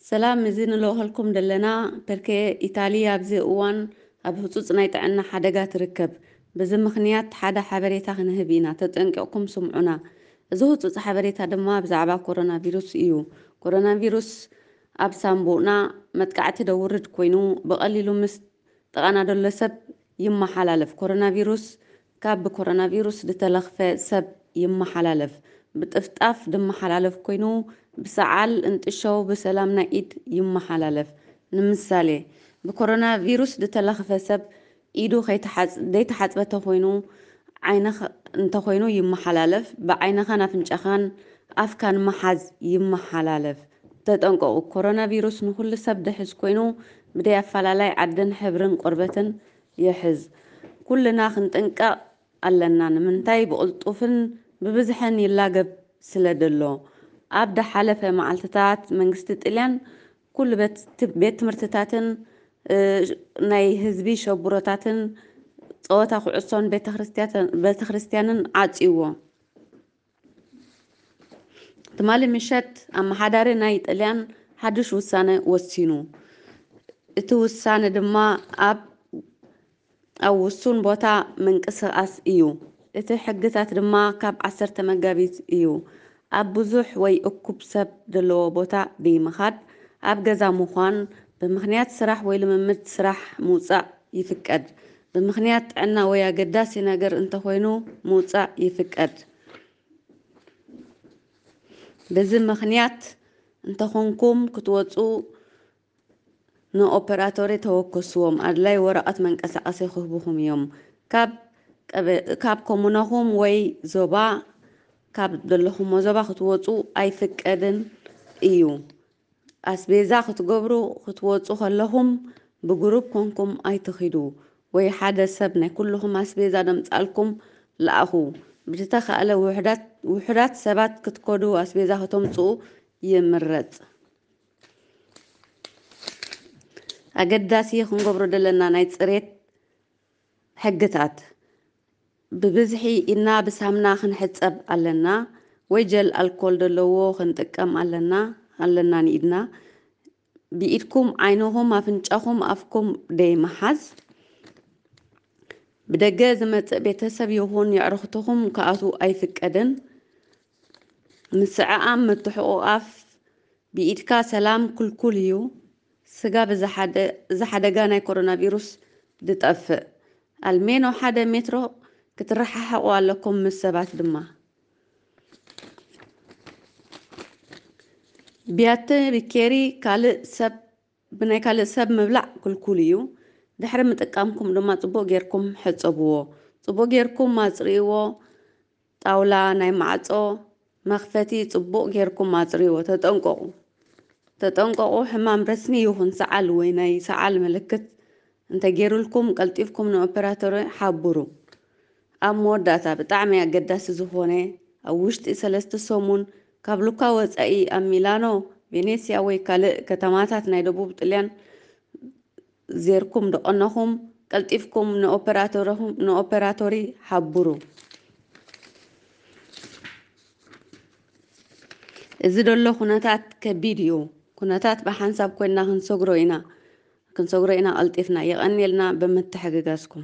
ሰላም፣ እዚ ንልእኸልኩም ዘለና ፐርኬ ኢታሊ ኣብዚ እዋን ኣብ ህጹጽ ናይ ጥዕና ሓደጋ ትርከብ። በዚ ምኽንያት ሓደ ሓበሬታ ክንህብ ኢና፣ ተጠንቂቕኩም ስምዑና። እዚ ህጹጽ ሓበሬታ ድማ ብዛዕባ ኮሮና ቪሩስ እዩ። ኮሮና ቪሩስ ኣብ ሳንቡእና መጥቃዕቲ ደውርድ ኮይኑ ብቐሊሉ ምስ ጥቓና ደሎ ሰብ ይመሓላለፍ። ኮሮና ቪሩስ ካብ ብኮሮና ቪሩስ ዝተለኽፈ ሰብ ይመሓላለፍ። ብጥፍጣፍ ድመሓላለፍ ኮይኑ ብሰዓል፣ እንጥሸው፣ ብሰላም ናይ ኢድ ይመሓላለፍ። ንምሳሌ ብኮሮና ቪሩስ ዝተለኽፈ ሰብ ኢዱ ከይተሓጽ-፣ ዘይተሓጽበ ተኾይኑ ዓይነ ኸ-፣ እንተኾይኑ ይመሓላለፍ። ብዓይንኻን ኣፍንጫኻን ኣፍካን ምሓዝ ይመሓላለፍ። ተጠንቀቑ፣ ኮሮና ቪሩስ ንኹሉ ሰብ ድሕዝ ኮይኑ ብደይ ኣፈላላይ ዓድን ሕብርን ቆርበትን ይሕዝ። ኩልና ክንጥንቀቕ ኣለና። ንምንታይ ብቕልጡፍን ብብዝሕን ይላገብ ስለ ደሎ። ኣብ ደሓለፈ መዓልትታት መንግስቲ ጥልያን ኩሉ ቤት፣ ቤት ትምህርትታትን፣ እ፣ ናይ ህዝቢ ሸቡሮታትን ጸወታ ኩዕሶን ቤተክርስትያተ-፣ ቤተክርስትያንን ዓጽይዎ። ትማሊ ምሸት ኣመሓዳሪ ናይ ጥልያን ሓድሽ ውሳነ ወሲኑ። እቲ ውሳነ ድማ ኣብ፣ ኣብ ውሱን ቦታ ምንቅስቓስ እዩ። እቲ ሕግታት ድማ ካብ ዓሰርተ መጋቢት እዩ። ኣብ ብዙሕ ወይ እኩብ ሰብ ዘለዎ ቦታ ብይምኻድ፣ ኣብ ገዛ ምዃን፣ ብምኽንያት ስራሕ ወይ ልምምድ ስራሕ ምውጻእ ይፍቀድ። ብምኽንያት ጥዕና ወይ ኣገዳሲ ነገር እንተኾይኑ ምውጻእ ይፍቀድ። በዚ ምኽንያት እንተኾንኩም ክትወጹ ንኦፐራቶሪ ተወከስዎም። ኣድላይ ወረቐት መንቀሳቐሲ ክህቡኹም እዮም። ካብ ቀበ-፣ ካብ ኮሙናኹም ወይ ዞባ፣ ካብ ዘለኹሞ ዞባ ክትወጹ ኣይፍቀድን እዩ። ኣስቤዛ ክትገብሩ ክትወጹ ከለኹም ብግሩፕ ኮንኩም ኣይትኺዱ፣ ወይ ሓደ ሰብ ናይ ኩልኹም ኣስቤዛ ደምጻልኩም ለኣኹ። ብዝተኻእለ ውሑዳት፣ ውሑዳት ሰባት ክትከዱ ኣስቤዛ ከተምጽኡ ይምረጽ። ኣገዳሲ ክንገብሮ ዘለና ናይ ጽሬት ሕግታት። ብብዝሒ ኢድና ብሳምና ክንሕጸብ ኣለና፣ ወይ ጀል ኣልኮል ዘለዎ ክንጥቀም ኣለና፣ ኣለና ንኢድና። ብኢድኩም ዓይንኹም፣ ኣፍንጫኹም፣ ኣፍኩም ደይ ምሓዝ። ብደገ ዝመጽእ ቤተሰብ ይኹን የዕርኽትኹም ክኣትዉ ኣይፍቀድን። ምስዕዓም፣ ምትሕቑቓፍ፣ ብኢድካ ሰላም ክልኩል እዩ። ስጋብ እዚ ሓደ-፣ እዚ ሓደጋ ናይ ኮሮና ቪሩስ ድጠፍእ፣ ኣልሜኖ ሓደ ሜትሮ ክትረሓሓቑ ኣለኩም፣ ምስ ሰባት ድማ። ቢያተ ቢኬሪ ካልእ ሰብ፣ ብናይ ካልእ ሰብ ምብላዕ ክልኩል እዩ። ድሕሪ ምጥቃምኩም ድማ ጽቡቕ ጌርኩም ሕጸብዎ። ጽቡቕ ጌርኩም ኣጽርይዎ። ጣውላ፣ ናይ ማዕጾ መኽፈቲ ጽቡቕ ጌርኩም ኣጽርይዎ። ተጠንቀቑ። ተጠንቀቑ፣ ሕማም ረስኒ ይኹን ሰዓል ወይ ናይ ሰዓል ምልክት እንተጌሩልኩም ቀልጢፍኩም ንኦፐራቶሪ ሓብሩ። ኣብ መወዳእታ ብጣዕሚ ኣገዳሲ ዝኾነ፣ ኣብ ውሽጢ ሰለስተ ሰሙን ካብ ሉካ ወጻኢ ኣብ ሚላኖ፣ ቬኔስያ ወይ ካልእ ከተማታት ናይ ደቡብ ጥልያን ዜርኩም ደቐነኹም ቀልጢፍኩም ንኦፐራቶርኹም፣ ንኦፐራቶሪ ሓብሩ። እዚ ደሎ ኩነታት ከቢድ እዩ። ኩነታት ብሓንሳብ ኮይንና ክንሰግሮ ኢና፣ ክንሰግሮ ኢና ቀልጢፍና። የቐንየልና ብምትሕግጋዝኩም።